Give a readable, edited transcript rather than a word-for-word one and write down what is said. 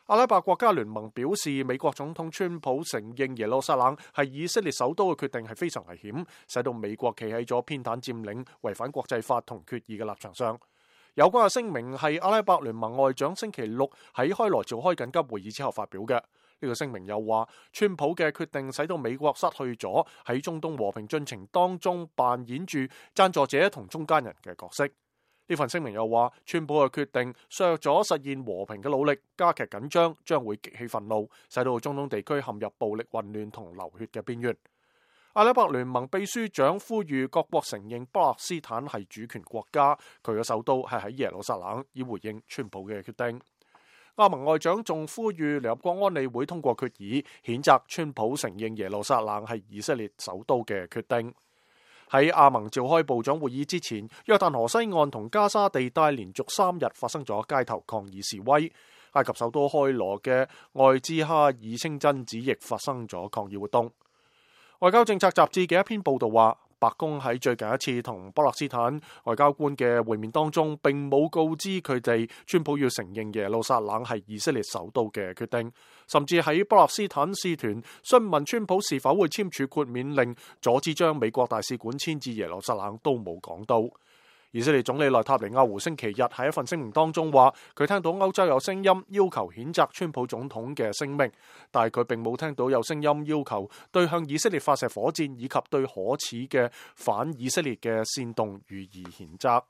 阿拉伯國家聯盟表示，美國總統川普承認耶路撒冷係以色列首都嘅決定係非常危險，使到美國企喺咗偏袒佔領、違反國際法同決議嘅立場上。有關嘅聲明係阿拉伯聯盟外長星期六喺開羅召開緊急會議之後發表嘅。呢個聲明又話，川普嘅決定使到美國失去咗喺中東和平進程當中扮演住贊助者同中間人嘅角色。呢份聲明又話，川普嘅決定削弱咗實現和平嘅努力，加劇緊張，將會激起憤怒，使到中東地區陷入暴力混亂同流血嘅邊緣。阿拉伯聯盟秘書長呼籲各國承認巴勒斯坦係主權國家，佢嘅首都係喺耶路撒冷，以回應川普嘅決定。阿盟外長仲呼籲聯合國安理會通過決議，譴責川普承認耶路撒冷係以色列首都嘅決定。喺阿盟召開部長會議之前，約旦河西岸同加沙地帶連續3日發生咗街頭抗議示威。埃及首都開羅嘅愛茲哈爾清真寺亦發生咗抗議活動。外交政策雜誌嘅一篇報道話，白宮喺最近一次同巴勒斯坦外交官嘅會面當中，並冇告知佢哋川普要承認耶路撒冷係以色列首都嘅決定，甚至喺巴勒斯坦使團詢問川普是否會簽署豁免令，阻止將美國大使館遷至耶路撒冷都冇講到。以色列總理內塔尼亞胡星期日喺一份聲明當中話，佢聽到歐洲有聲音要求譴責川普總統嘅聲明，但係佢並冇聽到有聲音要求對向以色列發射火箭以及對可恥嘅反以色列嘅煽動予以譴責。